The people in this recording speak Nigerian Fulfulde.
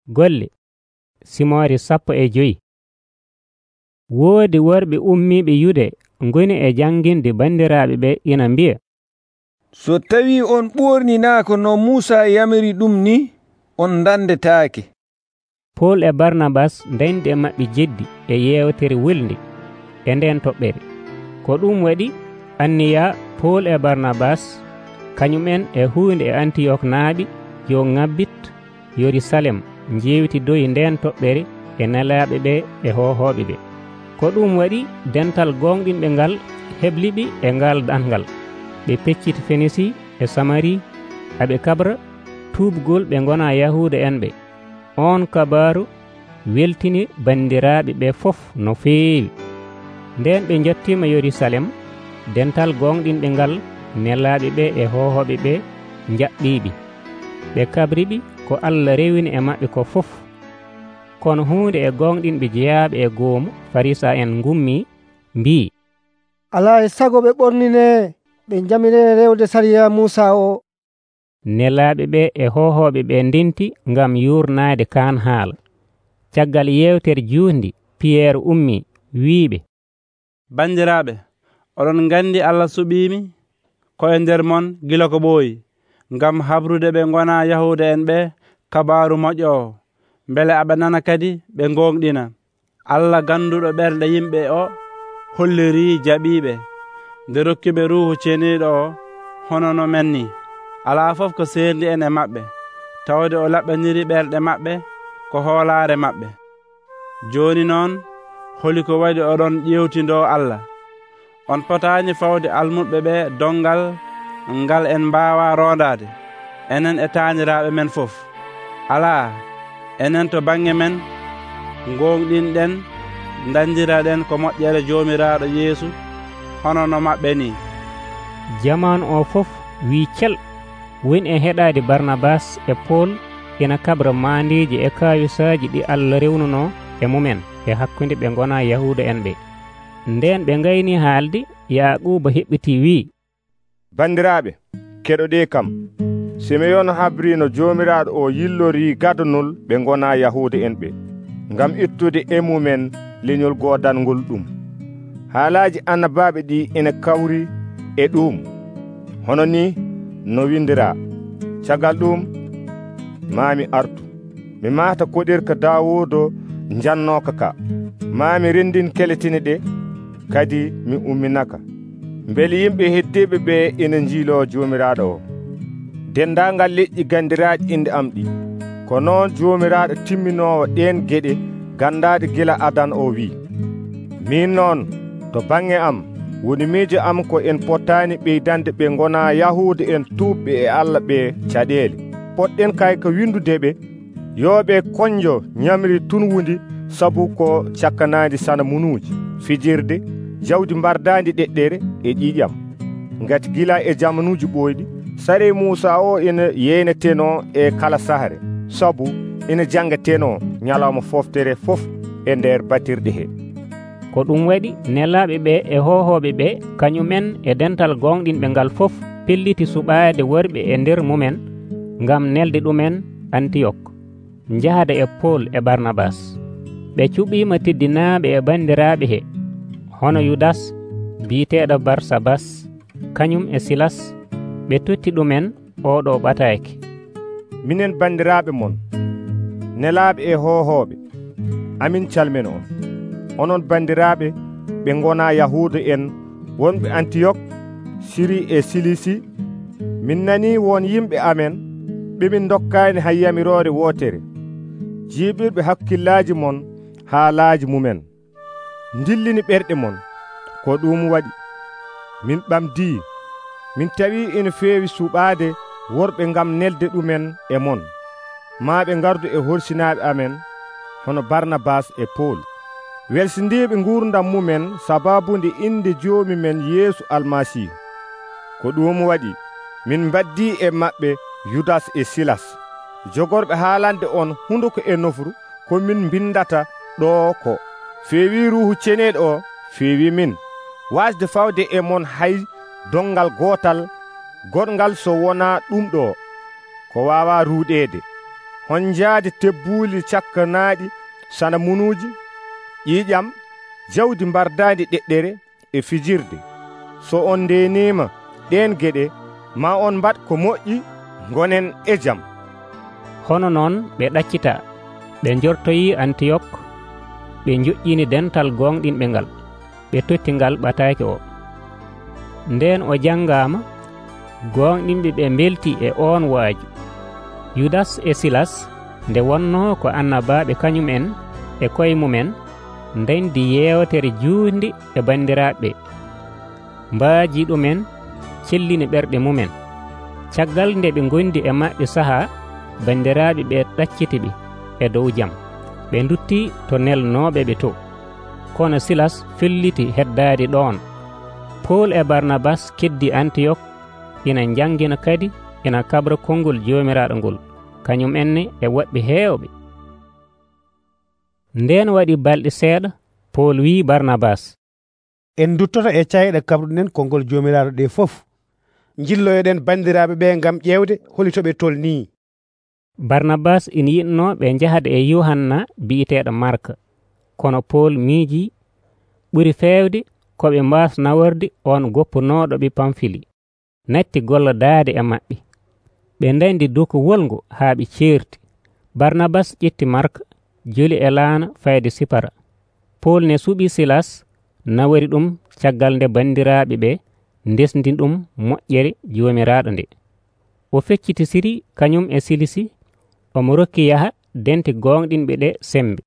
Golle Simoore 15. Woodi worɓe ummiiɓe Yude ngoni e janginde bandiraaɓe ɓe ina mbi'a, so tawii on ɓorninaako no Muusa yamiri ɗum ni, on ndandetaake. Pol e Barnabas ndandi e maɓɓe jeddi e yeewtere welnde e nden toɓɓere. Ko ɗum waɗi anniya Pol e Barnabas kañumen e huunde e Antiyok naaɓi yo ŋabbit Yerusalem njeewtidoyi nden toɓɓere e nelaaɓe ɓe e hohooɓe ɓe. Ko ɗum waɗi dental gonɗinɓe ngal hebliɓe e ngal ɗanngal. Ɓe pecciti Fenisi e Samari aɓe kabra tuubgol ɓe gona Yahuuda en ɓe. On kabaaru weltini bandiraaɓe ɓe fof no feewi. Nden ɓe jottima Yerusalem, dental gonɗinɓe ngal nelaaɓe ɓe e hohooɓe ɓe jaɓɓiɓe. Ɓe kabriɓe ko Allah rewini e maɓɓe ko fof. Kono huunde e gonɗinɓe jeyaaɓe e goomu Farisa en ngummi mbii, alaa e sago ɓe ɓornine ɓe jamiree rewde sariya Muusa o. Nelaaɓe ɓe e hohooɓe ɓe ndenti ngam yurnaade kaan haala. Caggal yewtere juundi Piyeer ummi wiiɓe, bandiraaɓe, oɗon nganndi Allah suɓiimi koye nder mon gila ko ɓooyi, ngam habrude ɓe gona Yahuuda en ɓe kabaaru moƴƴo o, mbele aɓe nana kadi ɓe gonɗina. Allah ganduɗo ɓerɗe yimɓe o holliri jaɓiɓe nde rokkiɓe Ruuhu Ceniiɗo o hono no men ni. Alaa fof ko serndi en e maɓɓe, tawde o laɓɓaniri ɓerɗe maɓɓe ko hoolaare maɓɓe. Jooni noon holi ko waɗi oɗon ƴewtindoo Allah. On potaani fawde almuɓe ɓe dongal ngal en mbaawa rondaade, enen e taaniraaɓe men fof. Alaa, enen to baŋnge men gonɗinɗen dandiraɗen ko moƴƴere Joomiraaɗo Yeesu hono no maɓɓe ni. Jamanu o fof wii cel woni e heɗaade Barnabas e Pol ina kabra maandeeji e kayusaaji ɗi Allah rewnuno e mumen e hakkunde ɓe gona Yahuuda en ɓe. Nden ɓe ngayni haalde, Yaaquuba heɓɓiti wii, bandiraaɓe, keɗoɗe kam, Simeyon habrino Joomiraaɗo o yillori gadanol ɓe gona Yahuuda en ɓe ngam ittude e mumen leñol godangol ɗum. Haalaaji annabaaɓe ɗi ina kawri e ɗum hono ni no windiraa, caggal ɗum maami artu, mi maata koɗirka Daawuuda jannooka ka, maami rendin keletine ɗe, kadi mi umminaka. Mbele yimɓe heddiɓe ɓe ina jiilo Joomiraaɗo o. Dendaangal leƴƴi gandiraaɗi inde am ɗi, ko noon Joomiraaɗo timminoowo ɗeen geɗe gandaade gila Adan o wii, min noon to baŋnge am woni miijo am ko en pottaani ɓeydande ɓe gona Yahuuda en tuubɓe e Allah ɓe caɗeele. Poɗɗen kay ko windude ɓe yooɓe konjo ñamri tunwundi sabu ko cakkanaandi sana munuuji, fijirde, jawdi mbardaandi ɗeɗɗere e ƴiƴam. Ngati gila e jamanuuji ɓooyɗi sare Muusa o ina yeyneteno e kala sahre, sabu ina jangeteno ñalawma foftere fof e nder batirɗe he. Ko ɗum waɗi nelaaɓe ɓe e hohooɓe ɓe kañumen e dental gonɗinɓe ngal fof pelliti suɓaade worɓe e nder mumen ngam nelde ɗumen Antiyok njahada e Pol e Barnabas. Ɓe cuɓiima teddinaaɓe e bandiraaɓe he hono Yudas biiteeɗo Barsabas kañum e Silas. Ɓe totti ɗumen oɗo ɓataake. Minen bandiraaɓe mon, nelaaɓe e hohooɓe, amin calmina on. Onon bandiraaɓe ɓe gona Yahuuda en wonɓe Antiyok, Siri e Silisi, min nanii won yimɓe amen ɓemin dokkaani hay yamiroore wootere, jiiɓirɓe hakkillaaji mon haalaaji mumen, ndillini ɓerɗe mon. Ko ɗum waɗi min ɓamdii, min tawi ina feewi suɓaade worɓe ngam nelde ɗumen e mon, maa ɓe gardu e horsinaaɓe amen hono Barnabas e Pol, welsindiiɓe gurdam mumen sababunde inde joomi men Yeesu Almasihu. Ko ɗum waɗi min baddii e maɓɓe Yudas e Silas, jogorɓe haalande on hunduko e nofru ko min bindata ɗo ko feewi Ruuhu Ceniiɗo o feewi min, wasde fawde e mon hay dongal gootal goɗgal so wonaa ɗum ɗo ko waawa ruuɗeede honjaade tebbuuli cakkanaaɗi sana munuuji, ƴiiƴam, jawdi mbardaandi ɗeɗɗere e fijirde. So on ndeeniima ɗeen geɗe, maa on mbaɗ ko moƴƴi, ngonen e jam. Hono noon ɓe ɗaccita, ɓe njortoyii Antiyok, ɓe njoƴƴini dental gonɗinɓe ngal, ɓe totti ngal ɓataake o. Ndeen o janngaama, gonɗinɓe ɓe mbelti e oon waaju. Yudas e Silas nde wonnoo ko annabaaɓe kañumen e koye mumen, ndendi yeewtere juutndi e banndiraaɓe, mbaaji ɗumen cellini ɓerɗe mumen. Caggal nde ɓe ngondi e maɓɓe sahaa, banndiraaɓe ɓe ɗacciti ɓe e dow jam, ɓe nduttii to nelnooɓe ɓe to. Kono Silas felliti heddaade ɗoon. Pool e Barnabas keddi Antiyok, ina njangina kadi ina kabra konngol Joomiraaɗo ngol, kañum enne e woɓɓe heewɓe. Ndeen waɗi balɗe seeɗa, Pool wii Barnabas, en duttoto e cayɗe kabruɗen konngol Joomiraaɗo ɗe fof. Jilloyoɗen banndiraaɓe ɓe ngam ƴeewde holi to ɓe tolnii. Barnabas ina yiɗnoo ɓe njahade e Yohanna bi'eteeɗo Marka, kono Pool miiji ɓuri feewde ko ɓe mbaas naworde on goppunooɗo ɓe Pamfili, natti gollodaade e maɓɓe. Ɓe ndandi doku wolngo haa ɓe ceerti. Barnabas ƴetti Marka, joli e laana fayde Sipara. Pool ne suɓi Silas, nawori ɗum caggal nde banndiraaɓe ɓe ndesndi ɗum moƴƴere Joomiraaɗo nde. O feccitisiri kañum e Silisi, omo rokki yaha dente gonɗinɓe ɗe sembe.